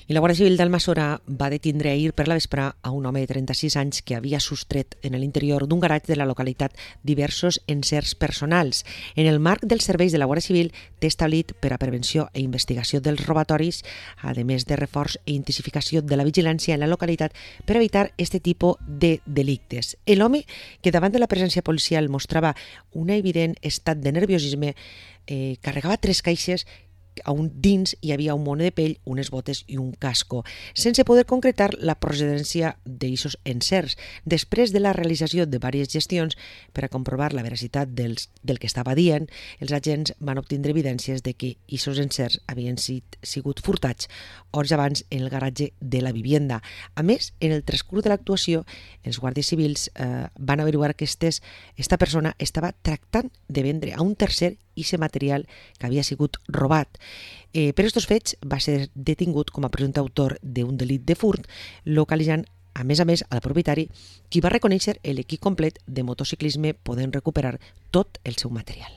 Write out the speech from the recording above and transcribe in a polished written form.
I la Guàrdia Civil d'Almassora va detindre ahir per la vespre a un home de 36 anys que havia sostret en l'interior d'un garatge de la localitat diversos encerts personals. En el marc dels serveis de la Guàrdia Civil té establit per a prevenció i investigació dels robatoris, a més de reforç i intensificació de la vigilància en la localitat per evitar este tipus de delictes. L'home, que davant de la presència policial mostrava un evident estat de nerviosisme, carregava 3 caixes on dins hi havia un mono de pell, unes botes i un casco, sense poder concretar la procedència d'aixos encerts. Després de la realització de diverses gestions per a comprovar la veracitat del que estava dient, els agents van obtindre evidències de que aquests encerts havien sigut furtats hores abans en el garatge de la vivienda. A més, en el transcurs de l'actuació, els guàrdies civils van averiguar que esta persona estava tractant de vendre a un tercer aquest material que havia sigut robat. Per aquests fets va ser detingut com a presumpte autor d'un delit de furt, localitzant a més, al propietari, qui va reconèixer l'equip complet de motociclisme podent recuperar tot el seu material.